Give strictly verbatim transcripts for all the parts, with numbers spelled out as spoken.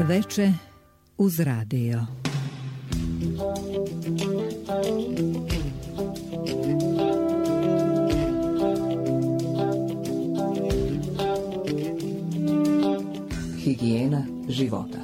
Veče uz radio. Higijena života.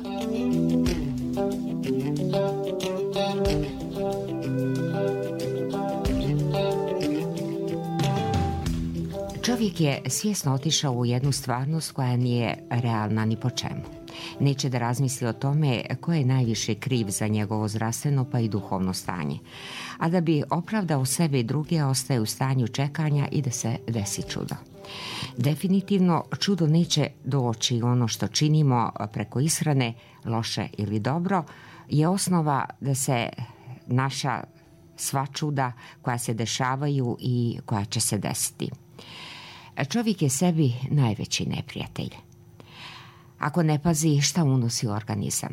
Čovjek je svjesno otišao u jednu stvarnost koja nije realna ni po čemu. Neće da razmisli o tome ko je najviše kriv za njegovo zdravstveno pa i duhovno stanje. A da bi opravdao sebe i druge, ostaje u stanju čekanja i da se desi čudo. Definitivno čudo neće doći. Ono što činimo preko ishrane, loše ili dobro, je osnova da se naša sva čuda koja se dešavaju i koja će se desiti. Čovjek je sebi najveći neprijatelj. Ako ne pazi šta unosi u organizam.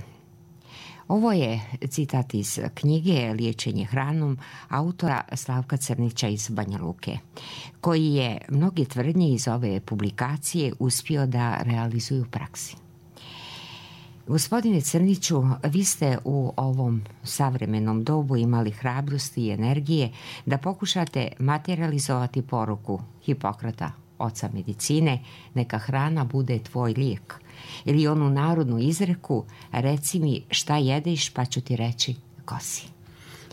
Ovo je citat iz knjige Liječenje hranom autora Slavka Crnića iz Banja Luke, koji je mnoge tvrdnje iz ove publikacije uspio da realizuju u praksi. Gospodine Crniću, vi ste u ovom savremenom dobu imali hrabrosti i energije da pokušate materializovati poruku Hipokrata, oca medicine, neka hrana bude tvoj lijek. Ili onu narodnu izreku, reci mi šta jedeš pa ću ti reći ko si.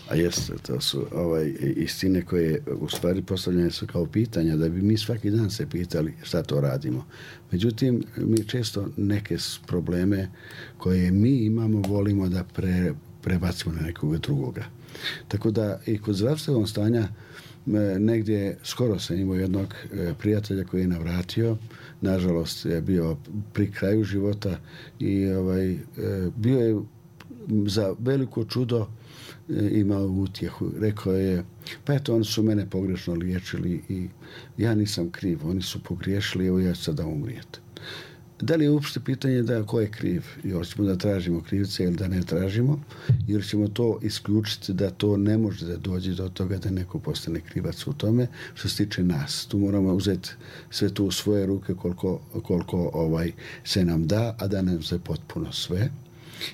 A jeste, to su ovaj, istine koje u stvari postavljene su kao pitanja da bi mi svaki dan se pitali šta to radimo. Međutim, mi često neke probleme koje mi imamo volimo da pre, prebacimo na nekoga drugoga. Tako da i kod zdravstvenog stanja negdje skoro sam imao jednog prijatelja koji je navratio, nažalost je bio pri kraju života i ovaj, bio je za veliko čudo imao utjehu. Rekao je, pa eto, oni su mene pogrešno liječili i ja nisam kriv, oni su pogriješili, evo ja ću sada umrijeti. Da li je uopšte pitanje da ko je kriv? Ili ćemo da tražimo krivce ili da ne tražimo? Ili ćemo to isključiti da to ne može da dođe do toga da neko postane krivac u tome što se tiče nas. Tu moramo uzeti sve tu u svoje ruke koliko, koliko ovaj, se nam da, a da nam se potpuno sve.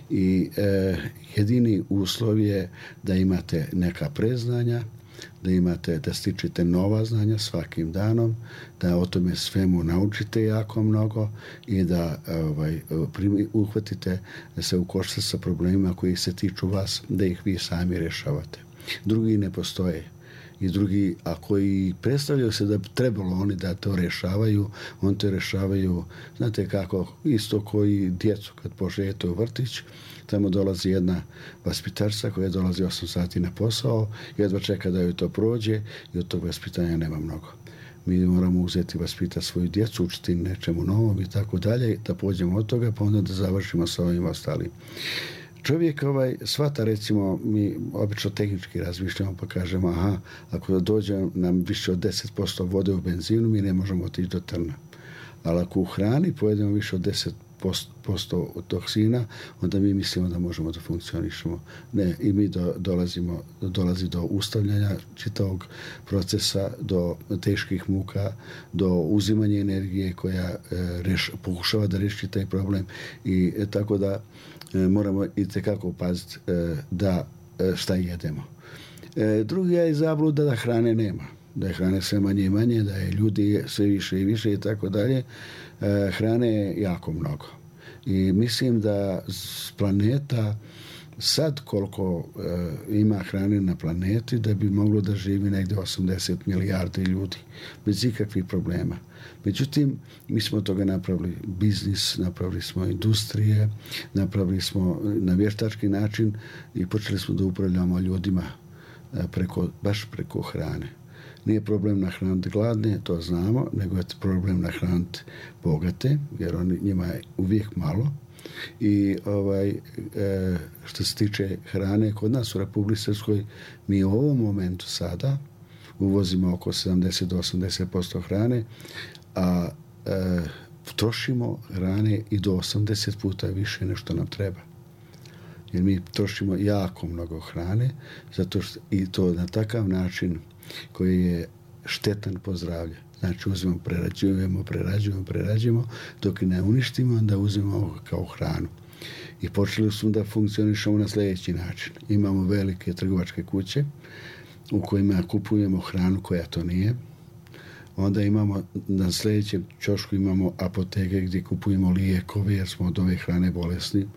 I eh, jedini uslov je da imate neka preznanja, da imate, da stičete nova znanja svakim danom, da o tome svemu naučite jako mnogo i da ovaj, uhvatite da se ukoštate sa problemima koji se tiču vas, da ih vi sami rješavate. Drugi ne postoje. I drugi, a koji predstavljaju se da trebalo oni da to rješavaju, on to rješavaju, znate kako, isto koji djecu kad pošetu u vrtić, tamo dolazi jedna vaspitačica koja dolazi osam sati na posao, jedva čeka da joj to prođe i od tog vaspitanja nema mnogo. Mi moramo uzeti vaspitati svoju djecu, učiti nečemu novom i tako dalje, da pođemo od toga, pa onda da završimo sa ovim ostalim. Čovjek ovaj, svata, recimo, mi obično tehnički razmišljamo pa kažemo, aha, ako dođe nam više od deset posto vode u benzinu, mi ne možemo otići do trna. Ali ako u hrani pojedemo više od deset posto toksina, onda mi mislimo da možemo da funkcionišemo. Ne, i mi do, dolazimo, dolazi do ustavljanja čitavog procesa, do teških muka, do uzimanja energije koja e, reš, pokušava da reši taj problem i e, tako da e, moramo i tekako paziti e, da e, šta jedemo. E, drugi je zabluda da hrane nema. Da je hrane sve manje i manje, da je ljudi sve više i više i tako dalje. E, hrane je jako mnogo. I mislim da s planeta sad koliko e, ima hrane na planeti, da bi moglo da živi negdje osamdeset milijardi ljudi bez ikakvih problema. Međutim, mi smo toga napravili biznis, napravili smo industrije, napravili smo na vještački način i počeli smo da upravljamo ljudima preko, baš preko hrane. Nije problem nahraniti gladne, to znamo, nego je problem nahraniti bogate, jer oni, njima je uvijek malo. I ovaj, e, što se tiče hrane, kod nas u Republici Srpskoj mi u ovom momentu sada uvozimo oko sedamdeset do osamdeset posto hrane, a e, trošimo hrane i do osamdeset puta više nego što nam treba. Jer mi trošimo jako mnogo hrane, zato što i to na takav način koji je štetan po zdravlje. Znači uzmemo, prerađujemo, prerađujemo, prerađujemo, dok ne uništimo, onda uzmemo kao hranu. I počeli smo da funkcionišemo na sljedeći način. Imamo velike trgovačke kuće u kojima kupujemo hranu koja to nije. Onda imamo, na sljedećem ćošku imamo apoteke gdje kupujemo lijekove jer smo od ove hrane bolesni,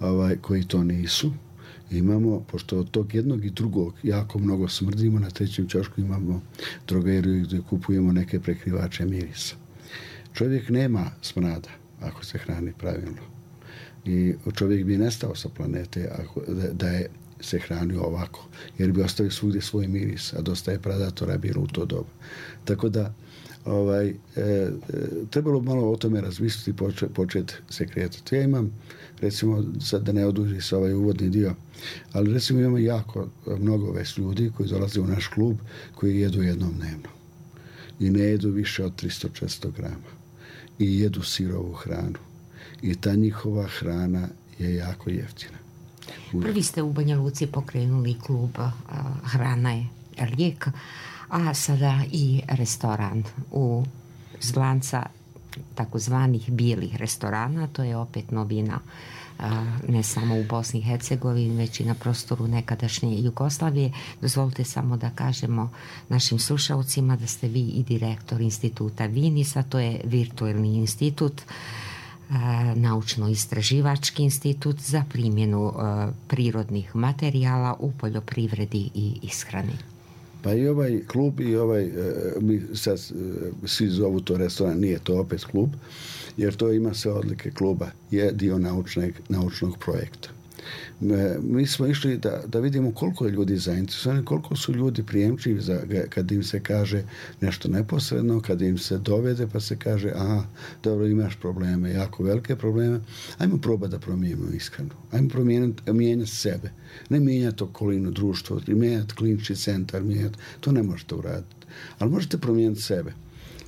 ovaj, koji to nisu. Imamo, pošto od tog jednog i drugog jako mnogo smrdimo, na trećem ćošku imamo drogeriju gdje kupujemo neke prekrivače mirisa. Čovjek nema smrada ako se hrani pravilno. I čovjek bi nestao sa planete ako, da, da je se hranio ovako, jer bi ostavio svugdje svoj miris, a dosta je predatora bilo u to doba. Tako da ovaj, e, e, trebalo malo o tome razmisliti i početi počet se kretati. Ja imam, recimo, sad da ne oduži se ovaj uvodni dio, ali recimo imamo jako mnogo već ljudi koji dolaze u naš klub koji jedu jednom dnevno. I ne jedu više od tristo do četiristo grama. I jedu sirovu hranu. I ta njihova hrana je jako jeftina. Prvi ste u Banja Luci pokrenuli klub uh, Hrana je lijek, a sada i restoran u zlanca takozvanih bijelih restorana. To je opet novina uh, ne samo u Bosni i Hercegovini, već i na prostoru nekadašnje Jugoslavije. Dozvolite samo da kažemo našim slušalcima da ste vi i direktor instituta Vinisa, to je virtualni institut, naučno-istraživački institut za primjenu uh, prirodnih materijala u poljoprivredi i ishrani. Pa i ovaj klub i ovaj, uh, mi sad uh, svi zovu to restoran, nije to opet klub, jer to ima sve odlike kluba, je dio naučnog, naučnog projekta. Mi smo išli da, da vidimo koliko je ljudi zainteresovani, koliko su ljudi prijemčivi za, kad im se kaže nešto neposredno, kad im se dovede pa se kaže aha, dobro, imaš probleme, jako velike probleme, ajmo probati da promijenimo ishranu, ajmo promijeniti, mijenjati sebe, ne mijenjati okolinu, društvo, mijenjati klinički centar, mijenjati, to ne možete uraditi, ali možete promijeniti sebe.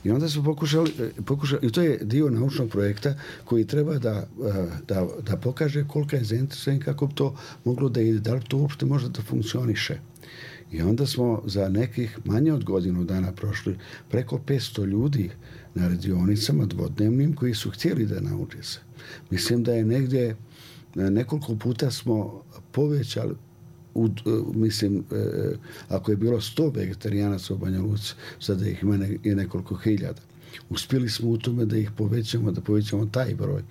I onda smo pokušali, pokušali, i to je dio naučnog projekta koji treba da, da, da pokaže kolika je zainteresovan, kako bi to moglo da ide, da li to uopšte može da funkcioniše. I onda smo za nekih manje od godinu dana prošli preko petsto ljudi na radionicama dvodnevnim koji su htjeli da nauče se. Mislim da je negdje nekoliko puta smo povećali U, mislim, e, ako je bilo sto vegetarijanaca u Banja Luci, sada ih ima ne, je nekoliko hiljada. Uspjeli smo u tome da ih povećamo, da povećamo taj broj.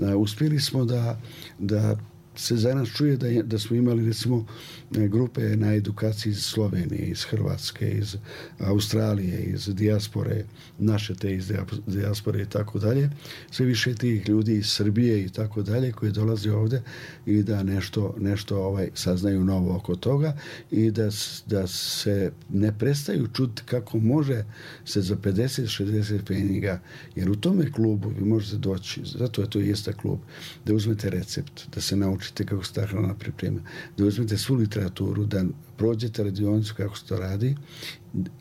E, uspjeli smo da, da se za nas čuje da, je, da smo imali, recimo, grupe na edukaciji iz Slovenije, iz Hrvatske, iz Australije, iz dijaspore, naše te iz dijaspore i tako dalje. Sve više tih ljudi iz Srbije i tako dalje koji dolaze ovdje i da nešto, nešto ovaj, saznaju novo oko toga i da, da se ne prestaju čuti kako može se za pedeset šezdeset peniga, jer u tome klubu vi možete doći, zato je to i jeste klub, da uzmete recept, da se naučite kako se ta hrana priprema, da uzmete svu literaturu, da prođete radionicu kako se to radi,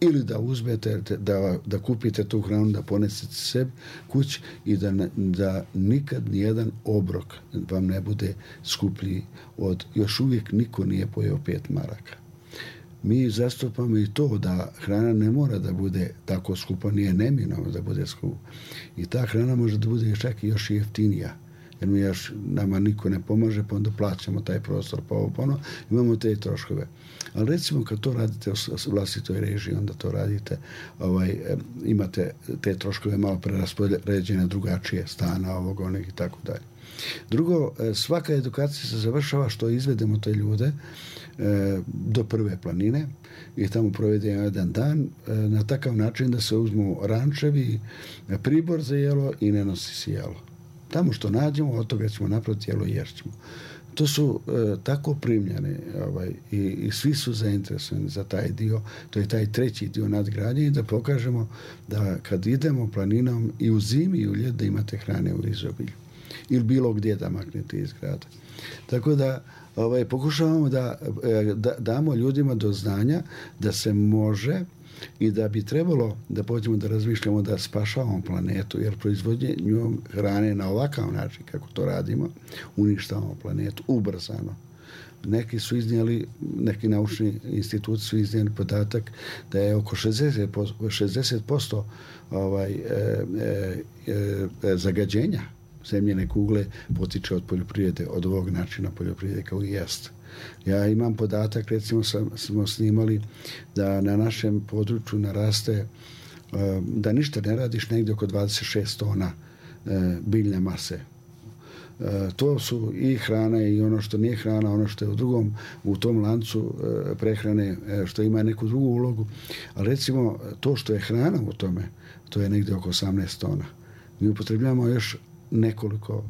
ili da uzmete, da, da kupite tu hranu, da ponesete sebi kući i da, da nikad nijedan obrok vam ne bude skuplji od, još uvijek niko nije pojeo pet maraka. Mi zastupamo i to da hrana ne mora da bude tako skupa, nije neminovno da bude skupa. I ta hrana može da bude čak i još jeftinija. Jer mi još, nama niko ne pomaže, pa onda plaćamo taj prostor, pa ovo, pa ono, imamo te troškove. Ali recimo kad to radite u vlastitoj režiji, onda to radite, ovaj, imate te troškove malo preraspoređene drugačije, stana, ovog, onih i tako dalje. Drugo, svaka edukacija se završava što izvedemo te ljude e, do prve planine i tamo provedemo jedan dan e, na takav način da se uzmu rančevi, pribor za jelo i ne nosi se jelo. Tamo što nađemo, od toga ćemo napraviti jelo i jerćemo. To su e, tako primljene ovaj, i, i svi su zainteresovani za taj dio. To je taj treći dio nadgradnje i da pokažemo da kad idemo planinom i u zimi i u ljet da imate hrane u izobilju. Ili bilo gdje da maknete iz grada. Tako da ovaj, pokušavamo da, da damo ljudima do znanja da se može i da bi trebalo da pođemo da razmišljamo da spašavamo planetu, jer proizvodnjom hrane na ovakav način kako to radimo, uništavamo planetu ubrzano. Neki su iznijeli, neki naučni instituti su iznijeli podatak da je oko šezdeset posto ovaj, e, e, e, zagađenja zemljene kugle potiče od poljoprivrede, od ovog načina poljoprivrede kao i jest. Ja imam podatak, recimo sam, smo snimali da na našem području naraste, da ništa ne radiš, negdje oko dvadeset šest tona biljne mase. To su i hrana i ono što nije hrana, ono što je u drugom, u tom lancu prehrane, što ima neku drugu ulogu. Ali recimo, to što je hrana u tome, to je negdje oko osamnaest tona. Mi upotrebljamo još nekoliko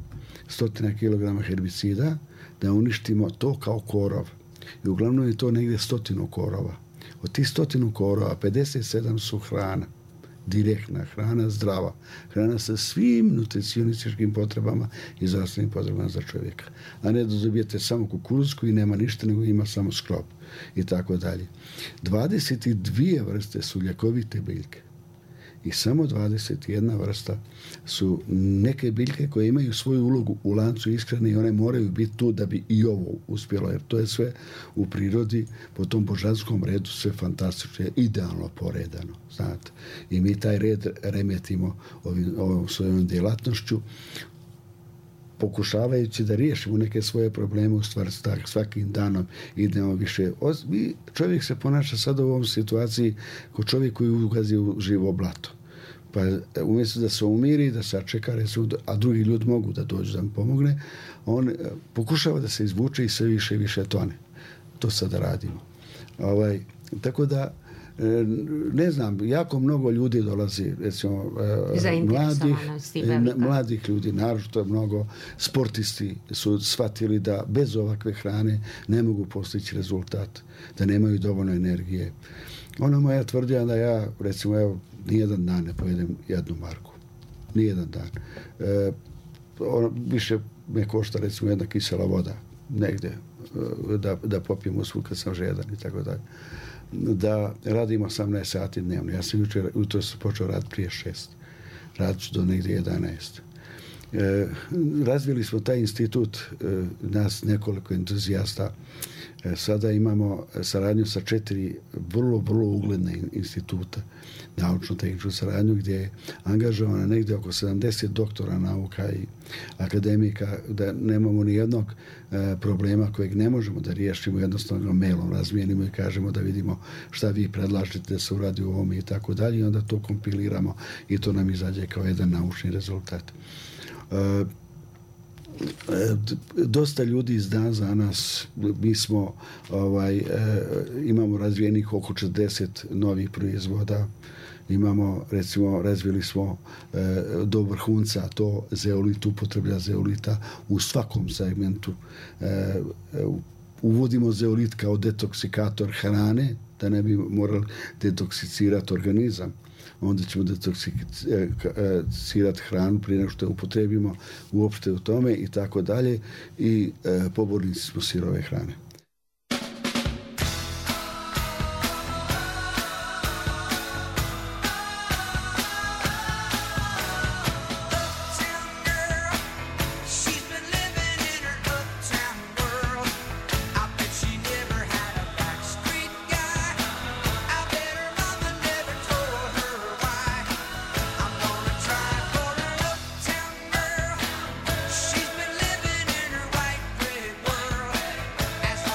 stotina kilograma herbicida da uništimo to kao korov. I uglavnom je to negdje stotinu korova. Od tih stotinu korova, pedeset sedam su hrana. Direktna hrana, zdrava. Hrana sa svim nutricionističkim potrebama i zdravstvenim potrebama za čovjeka. A ne da dobijete samo kukuruz koji nema ništa, nego ima samo sklop i tako dalje. dvadeset dvije vrste su ljekovite biljke. I samo dvadeset jedna vrsta su neke biljke koje imaju svoju ulogu u lancu ishrane i one moraju biti tu da bi i ovo uspjelo, jer to je sve u prirodi po tom božanskom redu sve fantastično, idealno poredano, znate. I mi taj red remetimo ovim, ovom svojom djelatnošću, pokušavajući da riješimo neke svoje probleme, u stvari svakim danom idemo više. Čovjek se ponaša sada u ovom situaciji kao čovjek koji ugazi u živo blato. Pa umjesto da se umiri, da sačeka, a drugi ljudi mogu da dođu da mu pomogne, on pokušava da se izvuče i sve više i više tone. To sada radimo. Ovaj, tako da ne znam, jako mnogo ljudi dolazi, recimo mladih, mladih ljudi, naročito mnogo sportisti su shvatili da bez ovakve hrane ne mogu postići rezultat, da nemaju dovoljno energije. Ona moja tvrdija da ja, recimo, evo, nijedan dan ne pojedem jednu marku. Nijedan dan. E, ono, više me košta, recimo, jedna kisela voda negdje, da, da popijem usvu kad sam žedan i tako dalje. Da radim osamnaest sati dnevno. Ja sam jučer, jutro sam počeo raditi prije šest. Radit ću do negdje jedanaest. E, razvili smo taj institut, e, nas nekoliko entuzijasta. E, sada imamo saradnju sa četiri vrlo, vrlo ugledne instituta, naučno-tehničku saradnju, gdje je angažovana negdje oko sedamdeset doktora nauka i akademika, da nemamo ni jednog e, problema kojeg ne možemo da riješimo, jednostavno mailom razmijenimo i kažemo da vidimo šta vi predlažete da se uradi u ovome i tako dalje, i onda to kompiliramo i to nam izađe kao jedan naučni rezultat. E, dosta ljudi zna za nas, mi smo ovaj, e, imamo razvijenih oko četrdeset novih proizvoda, imamo, recimo, razvili smo e, do vrhunca to zeolit, upotreblja zeolita u svakom segmentu. E, uvodimo zeolit kao detoksikator hrane, da ne bi morali detoksicirati organizam. Onda ćemo detoksicirati hranu prije nego što je upotrebimo uopšte u tome i tako dalje. I e, pobornici smo sirove hrane. As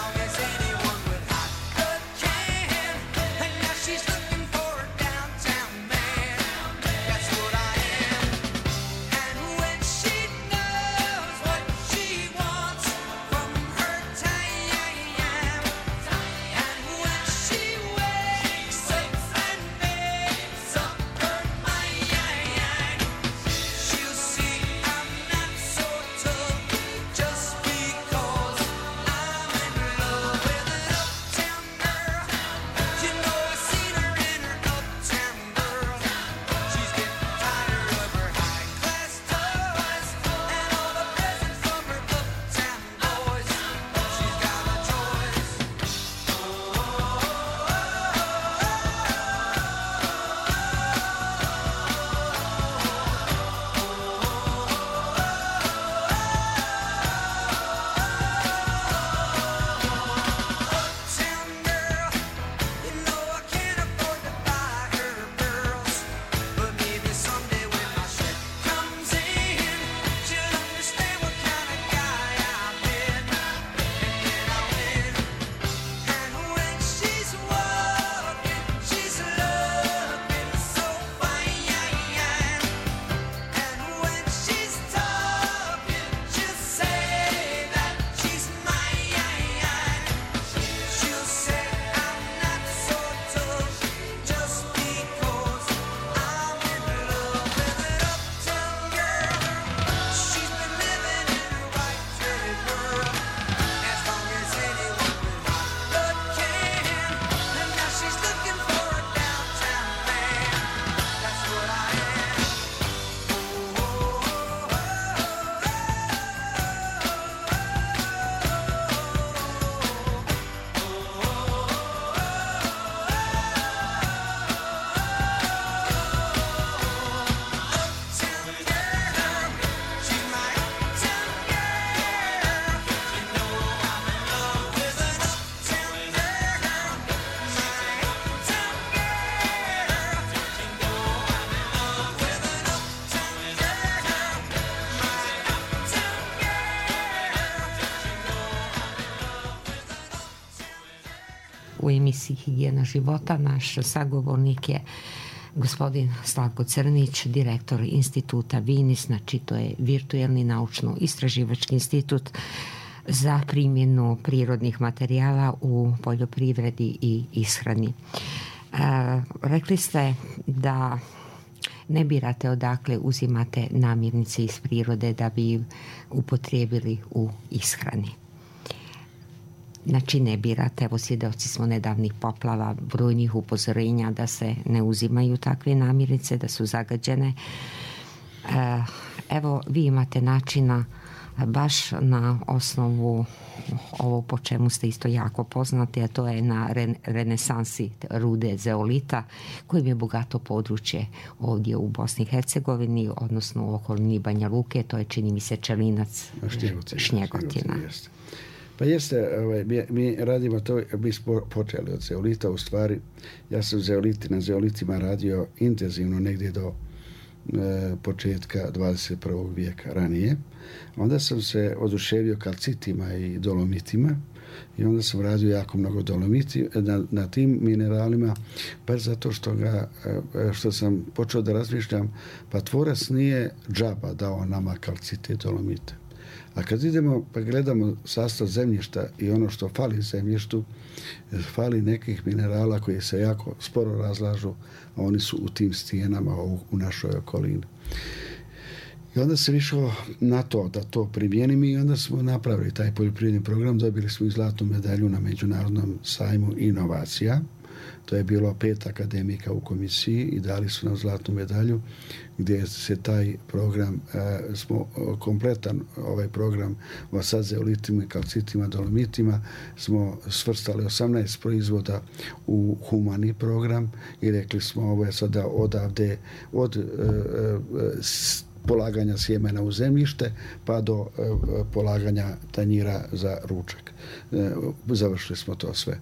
u emisiji Higijena života. Naš sagovornik je gospodin Slavko Crnić, direktor instituta Vinis, znači to je virtuelni naučno-istraživački institut za primjenu prirodnih materijala u poljoprivredi i ishrani. E, rekli ste da ne birate odakle uzimate namirnice iz prirode da bi upotrijebili u ishrani. Znači ne birate, evo svjedoci smo nedavnih poplava, brojnih upozorenja da se ne uzimaju takve namirnice, da su zagađene. Evo vi imate načina baš na osnovu ovo po čemu ste isto jako poznati, a to je na renesansi rude zeolita, kojim je bogato područje ovdje u Bosni i Hercegovini, odnosno u okolini Banja Luke, to je čini mi se Čelinac, Šnjegotina. Šnjegotina. Pa jeste, ovaj, mi, mi radimo to, mi smo počeli od zeolita, u stvari ja sam zeoliti, na zeolitima radio intenzivno negdje do e, početka dvadeset prvog vijeka ranije. Onda sam se oduševio kalcitima i dolomitima i onda sam radio jako mnogo dolomiti na, na tim mineralima, baš zato što, ga, što sam počeo da razmišljam, pa tvorac nije džaba dao nama kalcite i dolomite. A kad idemo pa gledamo sastav zemljišta i ono što fali zemljištu, fali nekih minerala koji se jako sporo razlažu, a oni su u tim stijenama u, u našoj okolini. I onda se išao na to da to primijenim i onda smo napravili taj poljoprivredni program, dobili smo i zlatnu medalju na Međunarodnom sajmu inovacija. To je bilo pet akademika u komisiji i dali su nam zlatnu medalju gdje se taj program, e, smo kompletan ovaj program sa zeolitima, kalcitima, dolomitima smo svrstali osamnaest proizvoda u humani program i rekli smo ovo je sada odavde od e, e, polaganja sjemena u zemljište pa do e, polaganja tanjira za ručak. E, završili smo to sve.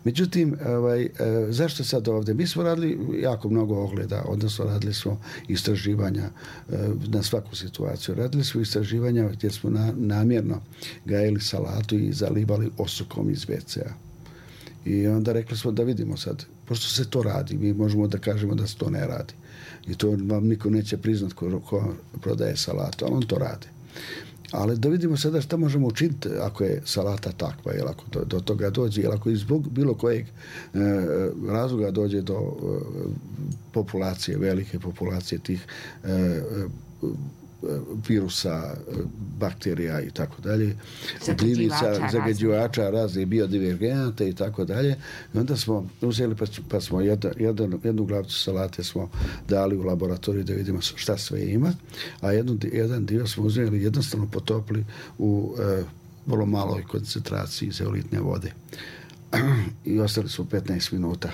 Međutim, ovaj, zašto sad ovdje? Mi smo radili jako mnogo ogleda, odnosno radili smo istraživanja na svaku situaciju. Radili smo istraživanja gdje smo na, namjerno gajili salatu i zalivali osukom iz ve ce a. I onda rekli smo da vidimo sad, pošto se to radi, mi možemo da kažemo da se to ne radi. I to vam niko neće priznat ko, ko prodaje salatu, ali on to radi. Ali da vidimo sada šta možemo učiniti ako je salata takva, ili ako do, do toga dođe, ili ako iz bilo kojeg e, razloga dođe do e, populacije, velike populacije tih e, e, virusa, bakterija i tako dalje, gljivica, zagađivača, razne biodivergenata i tako dalje. I onda smo uzeli pa, pa smo jedan, jedan, jednu glavicu salate smo dali u laboratoriju da vidimo šta sve ima, a jednu, jedan dio smo uzeli jednostavno potopili u e, vrlo maloj koncentraciji zeolitne vode. I ostali smo petnaest minuta.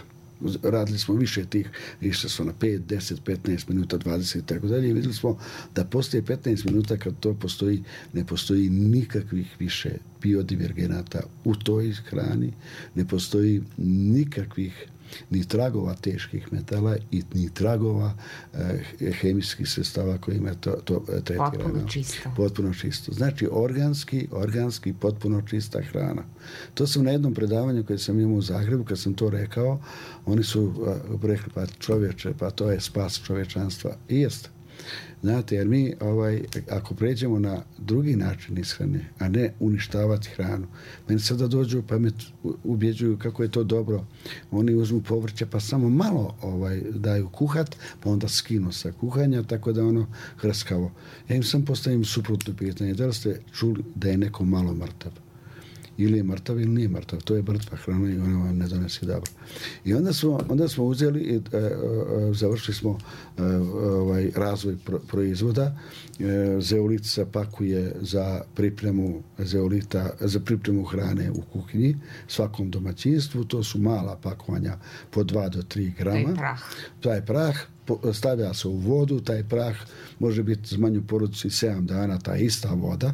Radili smo više tih, išli smo na pet, deset, petnaest minuta, dvadeset i tako dalje i vidjeli smo da postoje petnaest minuta kad to postoji, ne postoji nikakvih više biodivergenata u toj hrani, ne postoji nikakvih ni tragova teških metala i ni tragova eh, hemijskih sredstava kojima to, to tretirano. Potpuno čisto. Potpuno čisto. Znači organski, organski, potpuno čista hrana. To sam na jednom predavanju koje sam imao u Zagrebu, kad sam to rekao, oni su uh, rekli, pa čovječe, pa to je spas čovječanstva. I jeste. Znate, jer mi, ovaj, ako pređemo na drugi način ishrane, a ne uništavati hranu, meni sada dođu pa me ubjeđuju kako je to dobro. Oni uzmu povrće pa samo malo ovaj, daju kuhat, pa onda skinu sa kuhanja, tako da ono hrskavo. Ja im sam postavim suprotno pitanje. Da li ste čuli da je neko malo mrtav? Ili je mrtav ili nije mrtav. To je mrtva hrana i ona vam ne donesi dobro. I onda smo, onda smo uzeli i e, e, završili smo e, ovaj, razvoj pro, proizvoda. E, zeolit se pakuje za pripremu zeolita, za pripremu hrane u kuhinji svakom domaćinstvu. To su mala pakovanja po dva do tri grama. To je prah. To je prah. stavlja se u vodu, taj prah može biti zmanju porodici sedam dana, ta ista voda,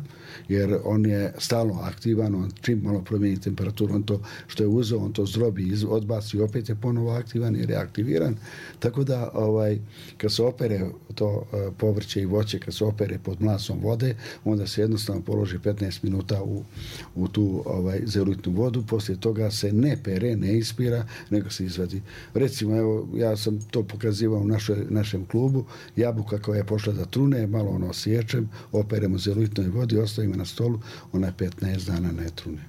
jer on je stalno aktivan, on čim malo promijeni temperaturu, on to što je uzeo, on to zdrobi, odbaci i opet je ponovo aktivan jer je aktiviran. Tako da ovaj, kad se opere to povrće i voće, kad se opere pod mlasom vode, onda se jednostavno položi petnaest minuta u, u tu ovaj, zeolitnu vodu, poslije toga se ne pere, ne ispira, nego se izvadi. Recimo, evo, ja sam to pokazivao u našoj, našem klubu, jabuka koja je pošla da trune, malo ono osječem, operemo zeolitnoj vodi, ostavimo na stolu, ona petnaest dana ne trune.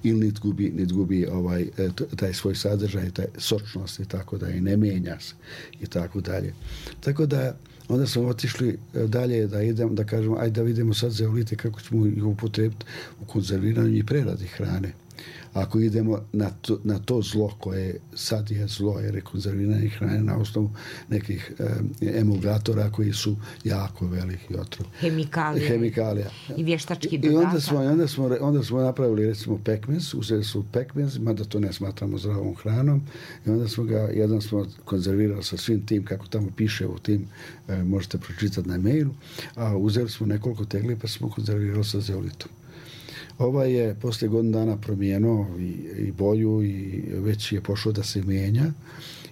Ili nit gubi, nit gubi ovaj, taj svoj sadržaj, taj sočnost i tako da i ne mijenja se i tako dalje. Tako da onda smo otišli dalje da idemo, da kažemo, ajde da vidimo sad zeolite kako ćemo ih upotrebiti u konzerviranju i preradi hrane. Ako idemo na to, na to zlo koje sad je zlo, jer je konzerviranje hrane na osnovu nekih e, emulgatora koji su jako veliki otrov. Hemikalija. Hemikalija. I vještački dodatak. I onda smo, onda smo, onda smo napravili recimo pekmez, uzeli su pekmez, mada to ne smatramo zdravom hranom, i onda smo ga, jedan smo konzervirali sa svim tim, kako tamo piše u tim, e, možete pročitati na mailu, a uzeli smo nekoliko tegli pa smo konzervirali sa zeolitom. Ovaj je poslije godinu dana promijenuo i, i boju i već je pošlo da se mijenja,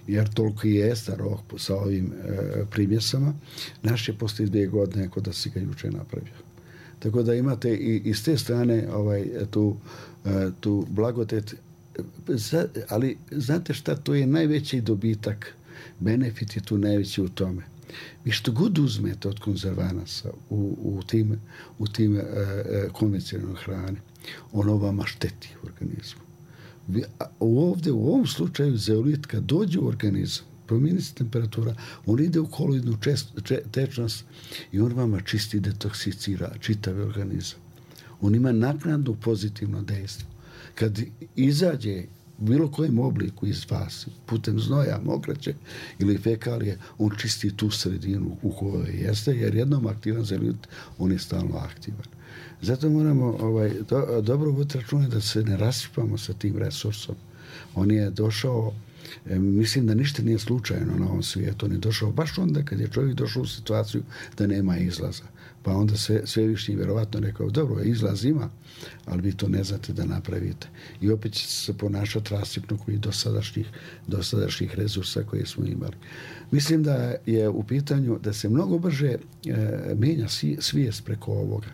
jer toliko i je star rok sa ovim e, primjesama. Naš je poslije dvije godine kod da si ga juče napravio. Tako da imate i, i s te strane ovaj, tu, e, tu blagodet. Za, ali znate šta, to je najveći dobitak, benefit je tu najveći u tome. Vi što god uzmete od konzervanasa u, u tim, u tim e, konvencionalnoj hrani, ono vama šteti u organizmu. Vi, a ovdje, u ovom slučaju, zeolit kad dođe u organizam, promijeni se temperatura, on ide u koloidnu tečnost i on vama čisti, detoksicira čitav organizam. On ima naknadno pozitivno dejstvo. Kad izađe u bilo kojem obliku iz vas, putem znoja, mokraće ili fekalije, on čisti tu sredinu u kojoj jeste, jer jednom aktivan zeolit, on je stalno aktivan. Zato moramo ovaj, do, dobro voditi računa da se ne rasipamo sa tim resursom. On je došao, e, mislim da ništa nije slučajno na ovom svijetu, on je došao baš onda kad je čovjek došao u situaciju da nema izlaza. Pa onda sve, svevišnji vjerovatno rekao, dobro, izlaz ima, ali vi to ne znate da napravite. I opet će se ponašati rasipno koji dosadašnjih, dosadašnjih resursa koje smo imali. Mislim da je u pitanju da se mnogo brže e, mijenja svijest preko ovoga.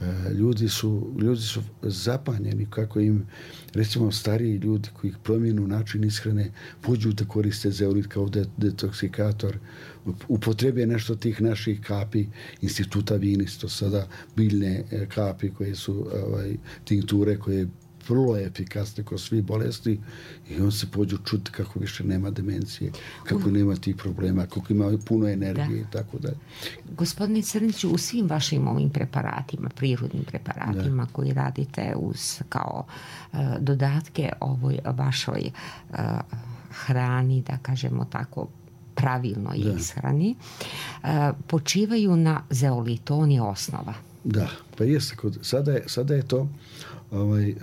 E, ljudi su, ljudi su zapanjeni kako im, recimo, stariji ljudi koji promijenu način ishrane, pođu da koriste zeolit kao detoksikator, upotrebe nešto tih naših kapi instituta Vinis, to sada biljne kapi koje su ovaj, tinkture koje vrlo efikasne kod svih bolesti i on se pođu čuti kako više nema demencije, kako nema tih problema, kako ima puno energije i tako dalje. Gospodine Crniću, u svim vašim ovim preparatima, prirodnim preparatima da. koji radite uz kao uh, dodatke ovoj vašoj uh, hrani, da kažemo tako, pravilnoj da. ishrani, uh, počivaju na zeolitu, on je osnova. Da, pa jeste, kod, sada, je, sada je to ovaj,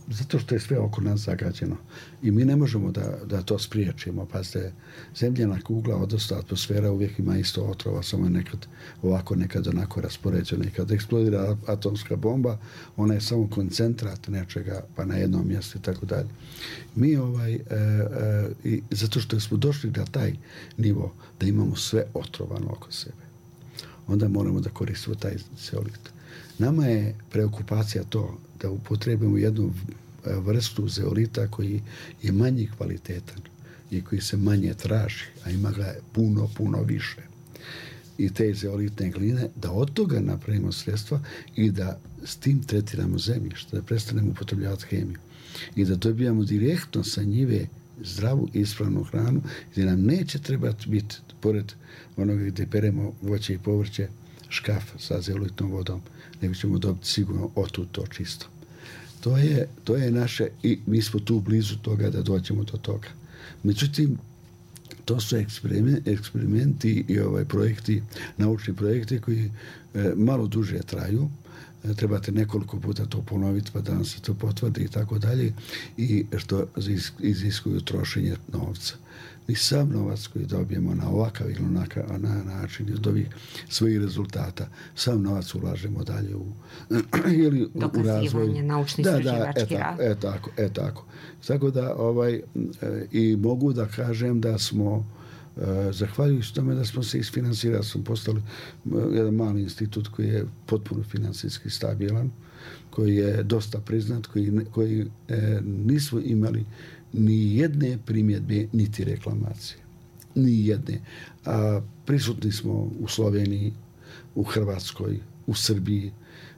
zato što je sve oko nas zagađeno i mi ne možemo da, da to spriječimo. Pazite, zemljana kugla, odnosno atmosfera uvijek ima isto otrova, samo nekad ovako, nekad onako raspoređeno. I kad eksplodira atomska bomba, ona je samo koncentrat nečega, pa na jednom mjestu i tako dalje. Mi ovaj, e, e, i zato što smo došli na taj nivo da imamo sve otrovano oko sebe, onda moramo da koristimo taj zeolit. Nama je preokupacija to da upotrebimo jednu vrstu zeolita koji je manji kvalitetan i koji se manje traži, a ima ga puno, puno više. I te zeolitne gline, da od toga napravimo sredstva i da s tim tretiramo zemljište, da prestanemo upotrebljavati hemiju i da dobijamo direktno sa njive zdravu i ispravnu hranu, gdje nam neće trebati biti, pored onoga gdje peremo voće i povrće, škaf sa zeolitnom vodom, nego ćemo dobiti sigurno otud to čisto. To je, to je naše, i mi smo tu blizu toga da dođemo do toga. Međutim, to su eksperimenti, eksperimenti i ovaj projekti, naučni projekti koji e, malo duže traju. trebate nekoliko puta to ponoviti pa da vam se to potvrdi i tako dalje, i što iziskuju trošenje novca. I sam novac koji dobijemo na ovakav ili onakav na način iz ovih svojih rezultata, sam novac ulažemo dalje u, ili u razvoj. Naučni da, istraživački da, rad. E tako, e tako. Tako da, ovaj, i mogu da kažem da smo, zahvaljujući tome da smo se isfinansirali, smo postali jedan mali institut koji je potpuno financijski stabilan, koji je dosta priznat, koji, koji e, nismo imali ni jedne primjedbe, niti reklamacije. Ni jedne. A prisutni smo u Sloveniji, u Hrvatskoj, u Srbiji.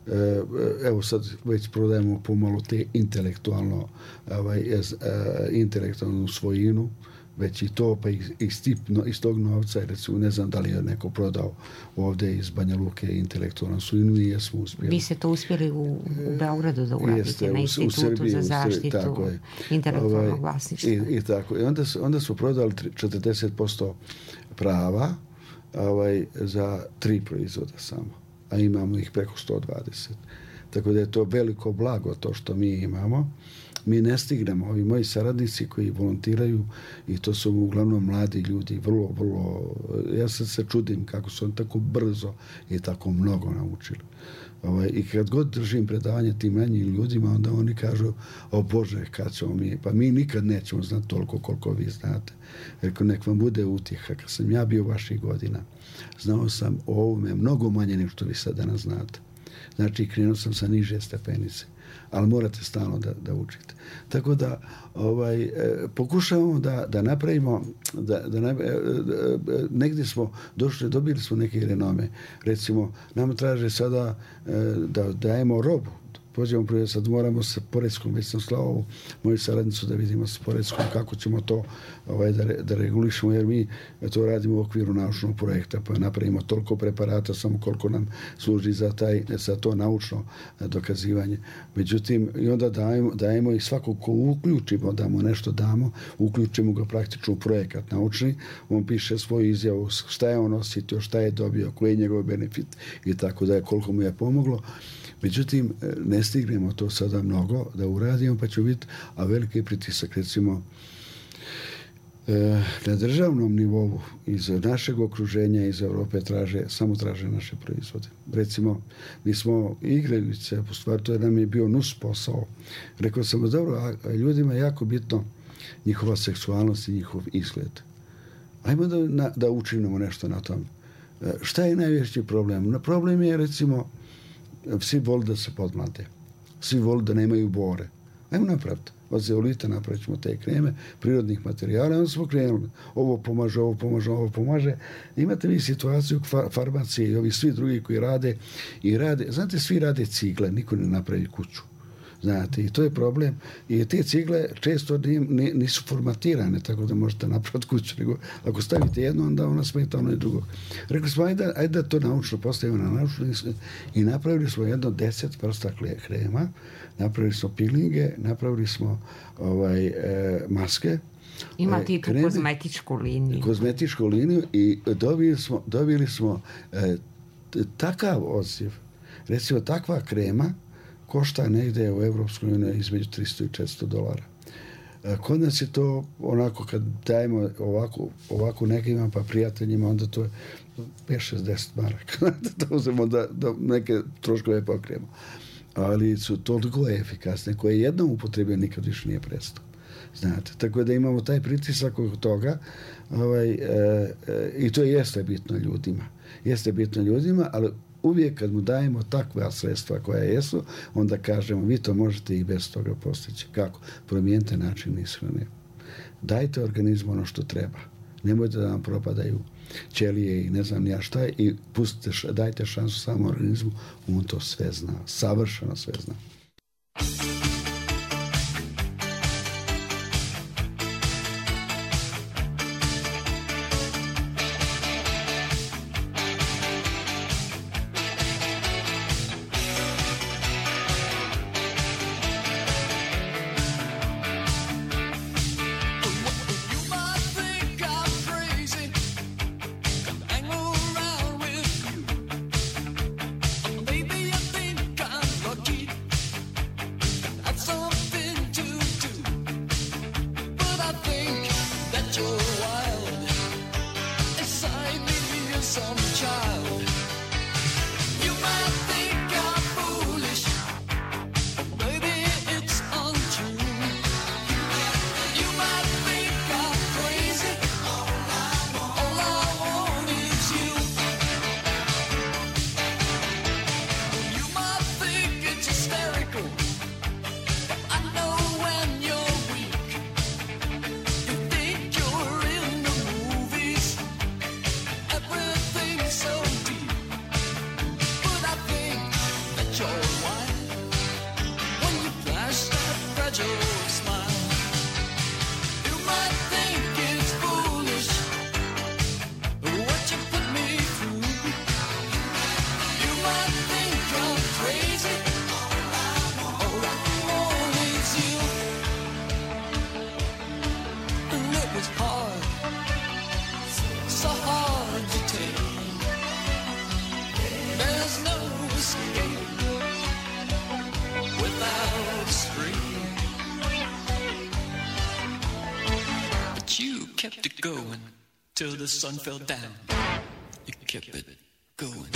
E, evo sad već prodajemo pomalo te intelektualno, ovaj, e, intelektualnu svojinu, već i to, pa iz, tipno, iz tog novca, recimo, ne znam da li je neko prodao ovdje iz Banja Luke intelektualnu svojinu i jesmo uspjeli. Vi ste to uspjeli u, u Beogradu da uradite, Jeste, na Institutu u Srbiji, za zaštitu intelektualnog ovaj, vlasništva. I, i tako. I onda, onda smo prodali četrdeset posto prava ovaj, za tri proizvoda samo, a imamo ih preko sto dvadeset. Tako da je to veliko blago to što mi imamo. Mi ne stignemo, ovi moji saradnici koji volontiraju, i to su uglavnom mladi ljudi, vrlo, vrlo, ja sad se čudim kako su oni tako brzo i tako mnogo naučili. Ovaj, i kad god držim predavanje tim manjim ljudima, onda oni kažu, o Bože, kad ćemo mi, pa mi nikad nećemo znati toliko koliko vi znate. Rekao, nek vam bude utjeha. Kad sam ja bio vaših godina, znao sam o ovome mnogo manje nego što vi sad danas znate. Znači, krenuo sam sa niže stepenice, ali morate stalno da, da učite. Tako da ovaj, e, pokušavamo da, da napravimo, da, da ne, e, e, negdje smo došli, dobili smo neke renome. Recimo, nam traže sada e, da dajemo robu. Pođemo prije, sad moramo sa Poredskom, već sam slao moju saradnicu da vidimo sa Poredskom kako ćemo to ovaj, da, da regulišemo, jer mi to radimo u okviru naučnog projekta, pa napravimo toliko preparata samo koliko nam služi za, taj, za to naučno dokazivanje. Međutim, i onda dajemo, dajemo i svako ko uključimo, da mu nešto damo, uključimo ga praktično u projekat naučni, on piše svoju izjavu, šta je on osjetio, šta je dobio, koji je njegov benefit i tako da je, koliko mu je pomoglo. Međutim, ne stignemo to sada mnogo da uradimo, pa će biti, a veliki pritisak, recimo, na državnom nivou iz našeg okruženja, iz Europe, traže, samo traže naše proizvode. Recimo, mi smo igralice, po stvari, to je nam je bio nus posao. Rekao sam, dobro, a ljudima je jako bitno njihova seksualnost i njihov izgled. Ajmo da, da učinimo nešto na tom. Šta je najveći problem? Problem je, recimo, svi voli da se podmlade. Svi voli da nemaju bore. Ajmo napraviti. Od zeolita napravit ćemo te kreme, prirodnih materijala, onda smo krenuli. Ovo pomaže, ovo pomaže, ovo pomaže. Imate vi situaciju farmacije i ovi svi drugi koji rade i rade. Znate, svi rade cigle, niko ne napravi kuću. Znate, i to je problem. I te cigle često nisu formatirane, tako da možete napraviti kuću. Nego ako stavite jedno, onda ona smeta ono i drugo. Rekli smo, ajde, ajde da to naučno postavimo na naučno i napravili smo jedno deset vrsta krema, napravili smo pilinge, napravili smo ovaj, e, maske. Imate i tu kreme, kozmetičku liniju. Kozmetičku liniju i dobili smo, dobili smo e, takav odziv. Recimo, takva krema košta negdje u Evropskoj uniji između tristo i četiristo dolara. Kod nas je to onako, kad dajemo ovako, ovako nekima pa prijateljima, onda to je pet šezdeset maraka. Da uzemo da, da neke troškove pokrijemo. Ali su toliko efikasne, koje jednom upotrebio nikad više nije prestao. Znate, tako da imamo taj pritisak od toga ovaj, e, e, i to jeste bitno ljudima. Jeste bitno ljudima, ali uvijek kad mu dajemo takva sredstva koja jesu, onda kažemo, vi to možete i bez toga postići. Kako? Promijenite način ishrane. Dajte organizmu ono što treba. Nemojte da vam propadaju ćelije i ne znam ja šta i pustite, dajte šansu samo organizmu, on to sve zna. Savršeno sve zna. Baby, I think Till the sun fell down, you kept it going.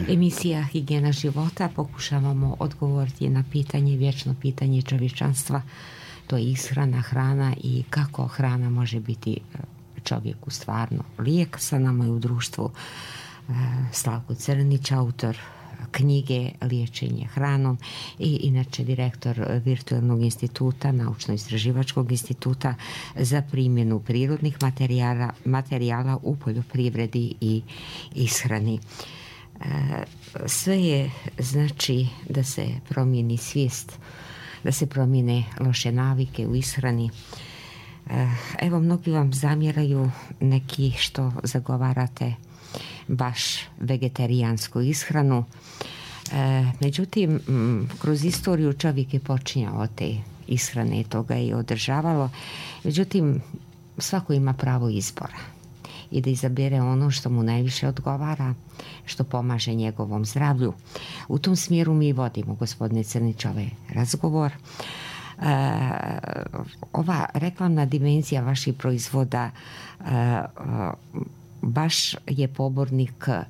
Emisija Higijena života, pokušavamo odgovoriti na pitanje, vječno pitanje čovječanstva, to je ishrana, hrana i kako hrana može biti čovjeku stvarno lijek. Sa nama je u društvu Slavko Crnić, autor knjige Liječenje hranom i inače direktor Virtualnog instituta, Naučno-istraživačkog instituta za primjenu prirodnih materijala, materijala u poljoprivredi i ishrani. Sve je znači da se promijeni svijest, da se promijene loše navike u ishrani. Evo, mnogi vam zamjeraju, neki što zagovarate baš vegetarijansku ishranu. Međutim, kroz istoriju čovjek je počinjao od te ishrane, toga je održavalo. Međutim, svako ima pravo izbora i da izabere ono što mu najviše odgovara, što pomaže njegovom zdravlju. U tom smjeru mi vodimo, gospodine Crnić, ovaj razgovor. E, ova reklamna dimenzija vaših proizvoda e, baš je pobornik e,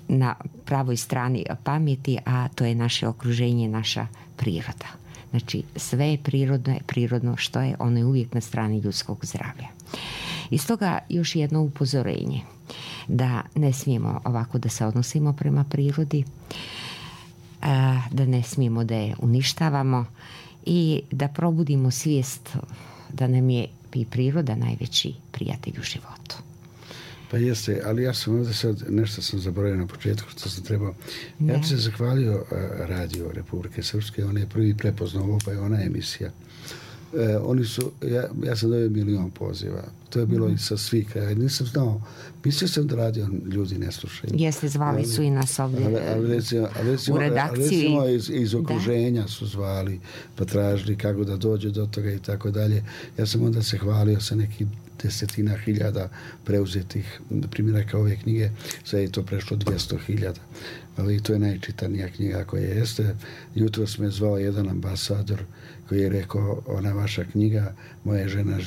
na pravoj strani pameti, a to je naše okruženje, naša priroda. Znači, sve je prirodno, je prirodno što je, ono je uvijek na strani ljudskog zdravlja. I stoga još jedno upozorenje, da ne smijemo ovako da se odnosimo prema prirodi, da ne smijemo da je uništavamo i da probudimo svijest da nam je i priroda najveći prijatelj u životu. Pa jeste, ali ja sam ovdje sad, nešto sam zaboravio na početku što sam trebao. Ja bih se zahvalio Radio Republike Srpske, on je prvi prepoznao ovo, pa je ona emisija. E, oni su, ja, ja sam dobio milion poziva. To je bilo mm. i sa svih kraja. Nisam znao, mislio sam da radio ljudi ne slušaju. Jeste, zvali ali, su i nas ovdje ali, ali recimo, ali recimo, u redakciji. Ali recimo iz, iz okruženja da. Su zvali, pa tražili kako da dođe do toga i tako dalje. Ja sam onda se hvalio sa nekim desetina hiljada preuzetih primjeraka ove knjige, sad je to prešlo dvjesto hiljada. Ali to je najčitanija knjiga koja jeste. Jutro me zvao jedan ambasador koji je rekao, ona vaša knjiga, moja žena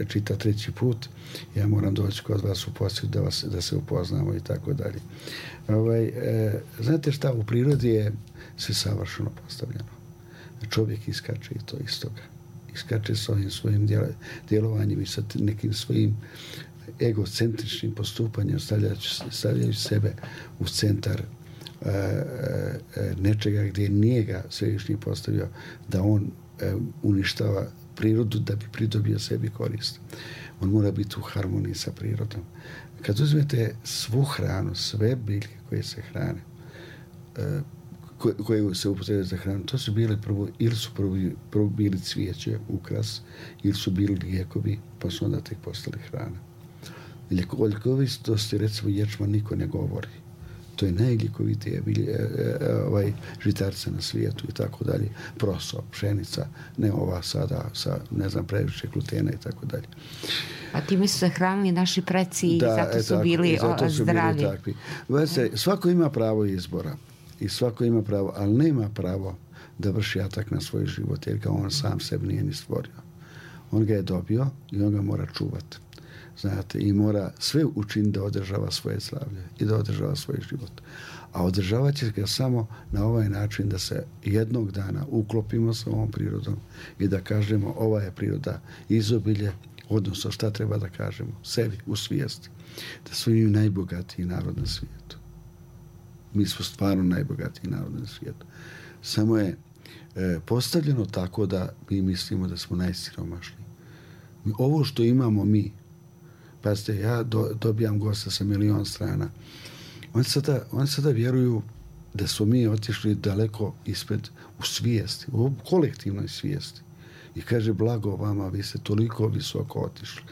čita treći put, ja moram doći kod vas u posjet da, vas, da se upoznamo i tako dalje. Ovaj, e, znate šta, u prirodi je sve savršeno postavljeno. Čovjek iskače i to iz toga. Iskače s ovim svojim djelovanjem i sa nekim svojim egocentričnim postupanjem, stavljajući, stavljajući sebe u centar e, e, nečega gdje nije ga svevišnji postavio da on e, uništava prirodu da bi pridobio sebi korist. On mora biti u harmoniji sa prirodom. Kad uzmete svu hranu, sve biljke koje se hrane, e, koje se upotrebljaju za hranu, to su bile prvo, ili su prvo, prvo bili cvijeće, ukras, ili su bili lijekovi, pa su onda tek postali hrana. O ljekovitosti, recimo, ječma niko ne govori. To je najljekovitije ovaj, žitarca na svijetu i tako dalje. Proso, pšenica, ne ova sada sa, ne znam, previše glutena i tako dalje. A time su se hranili naši preci i da, zato su tako, bili zato su zdravi. Bili takvi. Veste, svako ima pravo izbora i svako ima pravo, ali nema pravo da vrši atak na svoj život, jer ga on sam sebi nije ni stvorio. On ga je dobio i on ga mora čuvati. Znate, i mora sve učiniti da održava svoje slavlje i da održava svoj život. A održavat će ga samo na ovaj način da se jednog dana uklopimo sa ovom prirodom i da kažemo ova je priroda izobilje, odnosno šta treba da kažemo sebi u svijesti. Da smo mi najbogatiji narod na svijetu. Mi smo stvarno najbogatiji narod na svijetu. Samo je e, postavljeno tako da mi mislimo da smo najsiromašniji. Ovo što imamo mi, pazite, ja do, dobijam gosta sa milion strana. Oni sada, oni sada vjeruju da smo mi otišli daleko ispred u svijesti, u kolektivnoj svijesti. I kaže, blago vama, vi ste toliko visoko otišli.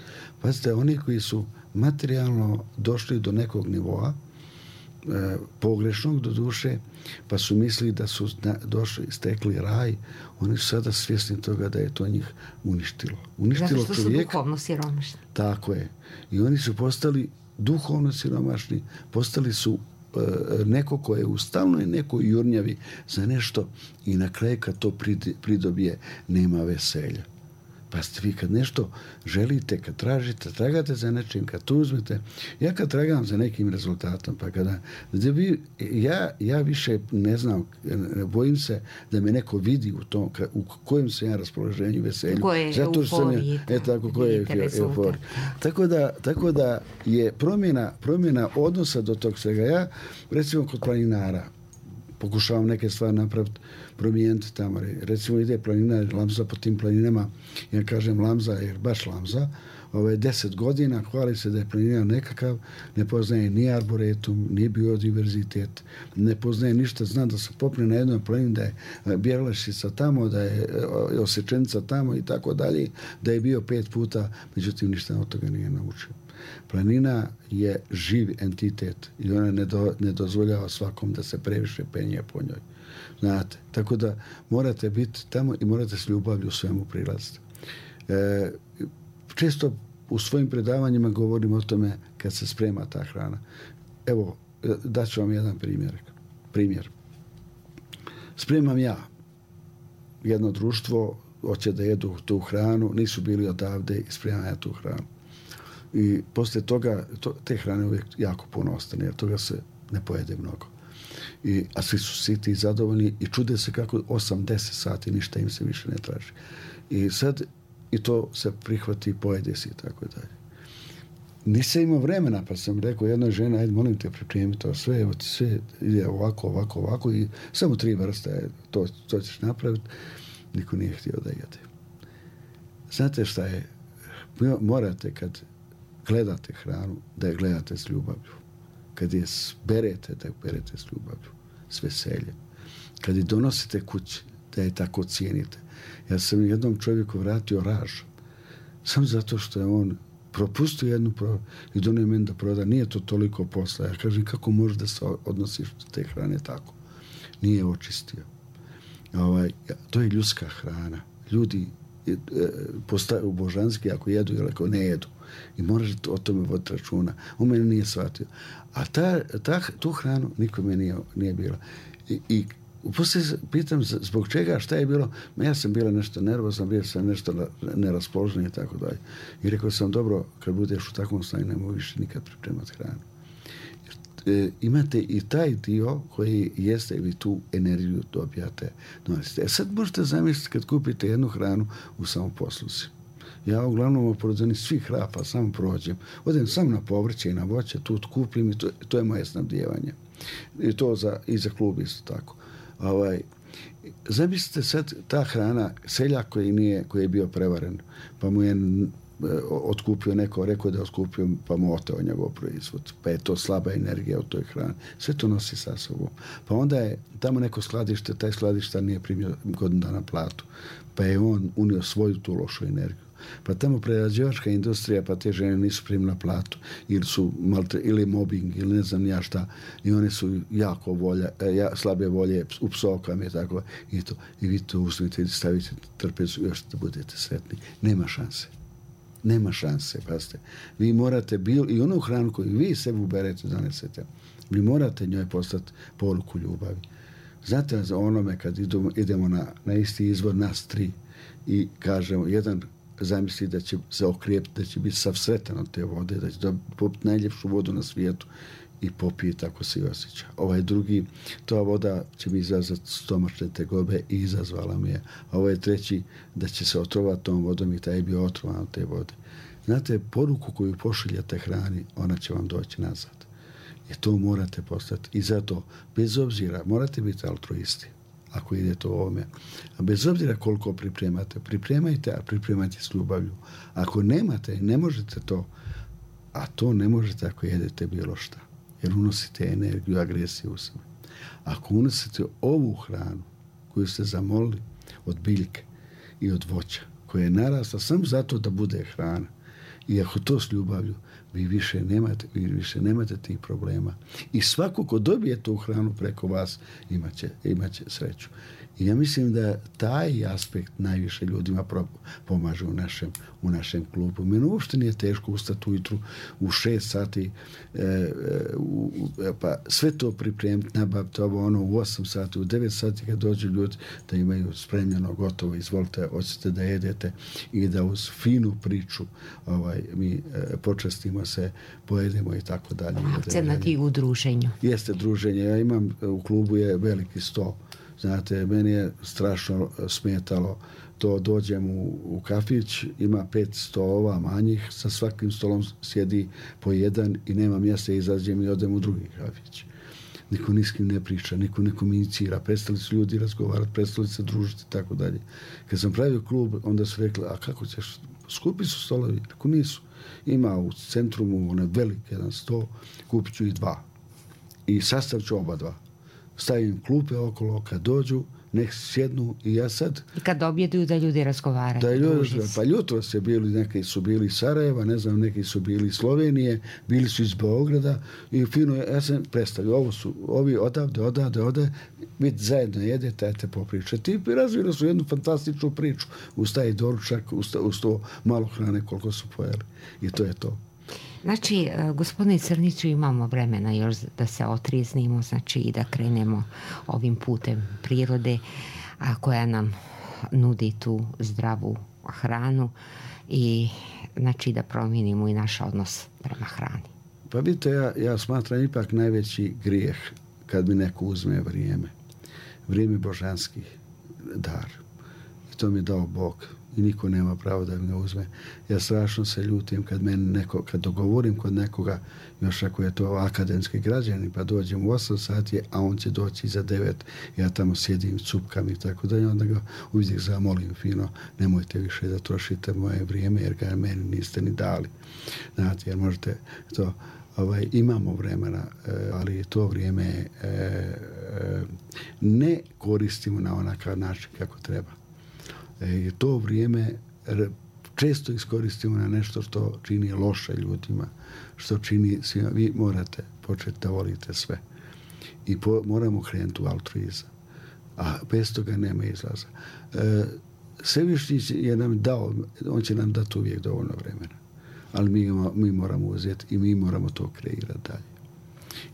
Pazite, oni koji su materijalno došli do nekog nivoa, e, pogrešnog do duše, pa su mislili da su na, došli, stekli raj, oni su sada svjesni toga da je to njih uništilo. Uništilo zato što čovjeka. su duhovno siromašni. Tako je. I oni su postali duhovno siromašni, postali su e, neko ko je u stalnoj nekoj jurnjavi za nešto i na kraju kad to pridobije nema veselja. Pa ste vi kad nešto želite, kad tražite, tragate za nečim, kad to uzmete. Ja kad tragam za nekim rezultatom, pa kada... Vi, ja, ja više ne znam, bojim se da me neko vidi u tom, u kojem se ja raspoloženju, veselju. Koje je euforiji. E, tako, koje je euforiji. Tako da, tako da je promjena, promjena odnosa do tog svega. Ja, recimo, kod planinara, pokušavam neke stvari napraviti, promijeniti tamo. Recimo ide planina, Lamza po tim planinama, ja kažem Lamza, jer baš Lamza, ove deset godina hvali se da je planina nekakav, ne poznaje ni arboretum, ni biodiverzitet, ne poznaje ništa, zna da se popne na jednoj planini, da je Bjelašica tamo, da je Osečenica tamo i tako dalje, da je bio pet puta, međutim ništa od toga nije naučio. Planina je živ entitet i ona ne, do, ne dozvoljava svakom da se previše penje po njoj. Znate, tako da morate biti tamo i morate s ljubavlju svemu prilaziti. E, često u svojim predavanjima govorim o tome kad se sprema ta hrana. Evo, daću vam jedan primjer. Primjer. Spremam ja jedno društvo, hoće da jedu tu hranu, nisu bili odavde i spremam ja tu hranu. I poslije toga, to, te hrane uvijek jako puno ostane, jer toga se ne pojede mnogo. I, a svi su siti i zadovoljni i čude se kako osam deset sati ništa im se više ne traži. I sad i to se prihvati, pojede se i tako dalje. Nisam imao vremena, pa sam rekao jednoj ženi, ajde, molim te, pripremi to sve, evo ti sve ide ovako, ovako, ovako i samo tri vrste, to, to ćeš napraviti. Niko nije htio da jede. Znate šta je? Morate kad gledate hranu, da je gledate s ljubavlju. Kad je berete, da je berete s ljubavlju, s veseljem. Kad je donosite kući, da je tako cijenite. Ja sam jednom čovjeku vratio raž. Samo zato što je on propustio jednu pro... i donio meni da proda. Nije to toliko posla. Ja kažem, kako možeš da se odnosiš te hrane tako? Nije očistio. Ovaj, to je ljudska hrana. Ljudi u božanski ako jedu ili ako ne jedu. I moraš o tome voditi računa. On mene nije shvatio. A ta, ta, tu hranu nikome nije, nije bilo. I, i poslije pitam zbog čega, šta je bilo. Ja sam bila nešto nervozna, bio sam nešto neraspoložen i tako dalje. I rekao sam, dobro, kad budeš u takvom stanju, nemoj više nikad pripremati hranu. E, imate i taj dio koji jeste, vi tu energiju dobijate. Donosite. E sad možete zamisliti kad kupite jednu hranu u samoposluzi. Ja uglavnom pored onih svih hrapa samo prođem. Odem samo na povrće i na voće, tu kupim i to, to je moje snabdijevanje. I to za, i za klub isto tako. Ovaj, zamislite sad ta hrana, seljak koji, nije, koji je bio prevaren, pa mu je otkupio neko, rekao da je otkupio, pa mu oteo njegov proizvod. Pa je to slaba energija u toj hrani. Sve to nosi sa sobom. Pa onda je tamo neko skladište, taj skladištar nije primio godinu dana platu. Pa je on unio svoju tu lošu energiju. Pa tamo prerađivačka industrija, pa te žene nisu primila platu, ili su malte, ili mobbing, ili ne znam ja šta, i one su jako volja, ja, slabe volje u psovkama i tako, i to. I vi to uzmite i stavite trpezu, još da budete sretni. Nema šanse. Nema šanse, pazite. Vi morate bil, i onu hranu koju vi sebi uberete, donesete, vi morate njoj postati poruku ljubavi. Znate, za onome kad idemo, idemo na, na isti izvor, nas tri, i kažemo, jedan zamisli da će se okrijepiti, da će biti sav sretan od te vode, da će popiti najljepšu vodu na svijetu i popije, tako se i osjeća. Ovaj drugi, ta voda će mi izazvati stomačne tegobe i izazvala mi je. A ovaj treći, da će se otrovati tom vodom i taj je bio otrovan od te vode. Znate, poruku koju pošiljate hrani, ona će vam doći nazad. I to morate postati. I zato, bez obzira, morate biti altruisti ako idete u ovome. A bez obzira koliko pripremate, pripremajte, a pripremajte s ljubavlju. Ako nemate, ne možete to, a to ne možete ako jedete bilo šta. Jer unosite energiju, agresiju u sebe. Ako unosite ovu hranu koju ste zamolili od biljke i od voća, koja je narasla samo zato da bude hrana, i ako to s ljubavlju, vi više nemate, vi više nemate tih problema. I svako ko dobije tu hranu preko vas, imaće, imaće sreću. I ja mislim da taj aspekt najviše ljudima pomaže u našem, u našem klubu. Meni uopšte nije teško ustati ujutru u šest sati, e, u, pa sve to pripremiti, nabaviti ovo ono u osam sati, u devet sati kad dođu ljudi da imaju spremljeno, gotovo, izvolite, hoćete da jedete i da uz finu priču ovaj, mi e, počastimo se, pojedemo i tako dalje. Akcenat i u druženju. Jeste druženje. Ja imam, u klubu je veliki sto. Znate, meni je strašno smetalo to, dođem u, u kafić, ima pet stolova manjih, sa svakim stolom sjedi po jedan i nema mjesta, izađem i odem u drugi kafić. Niko ni s kim ne priča, niko ne komunicira, prestali su ljudi razgovarati, prestali se družiti i tako dalje. Kad sam pravio klub, onda su rekli, a kako ćeš, skupi su stolovi? Ako nisu. Ima u centrumu onaj velik jedan sto, kupit ću i dva. I sastavit ću oba dva. Stavim klupe okolo, kad dođu, nek sjednu i ja sad... I kad objeduju da ljudi razgovaraju. Da ljudi, pa jutro se bili, neki su bili iz Sarajeva, ne znam, neki su bili iz Slovenije, bili su iz Beograda i fino, ja sam predstavio, ovo su, ovi odavde, odavde, odavde, vi zajedno jedete, ajte popričati. I razvili su jednu fantastičnu priču. Uz taj doručak, uz, uz to malo hrane koliko su pojeli. I to je to. Znači, gospodine Crniću, imamo vremena još da se otrijeznimo, znači i da krenemo ovim putem prirode, a koja nam nudi tu zdravu hranu i znači da promijenimo i naš odnos prema hrani. Pa vidite, ja, ja smatram ipak najveći grijeh kad mi neko uzme vrijeme. Vrijeme božanski dar. I to mi je dao Bog. I niko nema pravo da mi ga uzme. Ja strašno se ljutim kad meni neko, kad dogovorim kod nekoga, još ako je to akademski građanin, pa dođem u osam sati, a on će doći za devet, ja tamo sjedim, cupkam i tako da, i onda ga uvijek zamolim fino, nemojte više da trošite moje vrijeme, jer ga meni niste ni dali. Znate, jer možete to, ovaj, imamo vremena, ali to vrijeme ne koristimo na onakav način kako treba. I to vrijeme često iskoristimo na nešto što čini loše ljudima, što čini svima. Vi morate početi da volite sve. I po, moramo krenuti u altruizam. A bez toga nema izlaza. E, Svevišnji je nam dao, on će nam dati uvijek dovoljno vremena. Ali mi, mi moramo uzeti i mi moramo to kreirati dalje.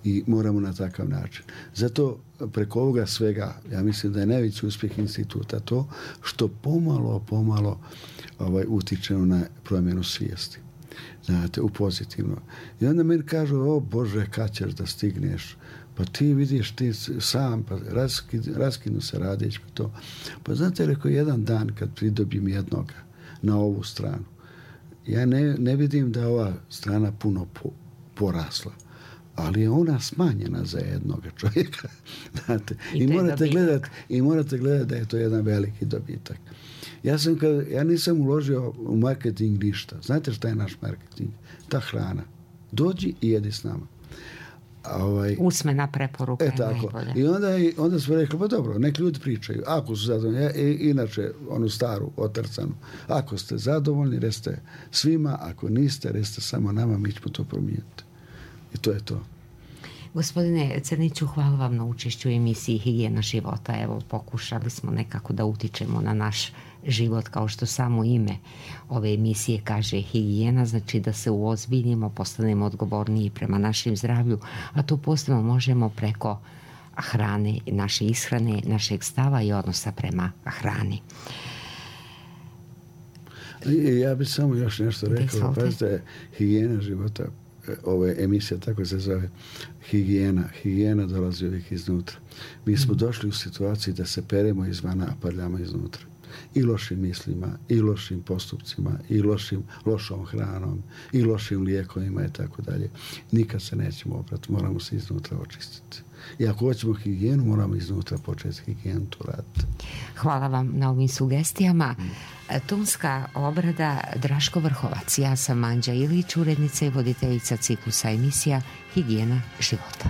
I moramo na takav način. Zato preko ovoga svega, ja mislim da je najveći uspjeh instituta to što pomalo, pomalo ovaj, utičemo na promjenu svijesti. Znate, u pozitivno. I onda meni kažu, o Bože, kad ćeš da stigneš? Pa ti vidiš, ti sam, pa raskinu, raskinu se radeći to. Pa znate, rekao, jedan dan kad pridobim jednoga na ovu stranu, ja ne, ne vidim da je ova strana puno po, porasla, ali je ona smanjena za jednoga čovjeka. Znate, i, i morate gledati i morate gledati da je to jedan veliki dobitak. Ja sam kad, ja nisam uložio u marketing ništa. Znate šta je naš marketing? Ta hrana. Dođi i jedi s nama. Ovaj, usmena preporuka e, tako. Je najbolja. I onda, onda smo rekli, pa dobro, nek ljudi pričaju. Ako su zadovoljni, ja, inače, onu staru, otrcanu, ako ste zadovoljni, reste svima, ako niste, reste samo nama, mi ćemo to promijeniti. I to je to. Gospodine Crniću, hvala vam na učešću u emisiji Higijena života. Evo, pokušali smo nekako da utičemo na naš život, kao što samo ime ove emisije kaže higijena, znači da se uozbiljimo, postanemo odgovorniji prema našem zdravlju, a to posebno možemo preko hrane, naše ishrane, našeg stava i odnosa prema hrani. Ja bih samo još nešto rekao. Pazite, higijena života, ova emisija tako se zove, higijena. Higijena dolazi uvijek iznutra. Mi smo došli u situaciju da se peremo izvana, a parljamo iznutra. I lošim mislima, i lošim postupcima, i lošim, lošom hranom, i lošim lijekovima i tako dalje. Nikad se nećemo oprati, moramo se iznutra očistiti. I ako hoćemo higijenu, moramo iznutra početi higijenu tu raditi. Hvala vam na ovim sugestijama. Tonska obrada Draško Vrhovac. Ja sam Anđa Ilić, urednica i voditeljica ciklusa emisija Higijena života.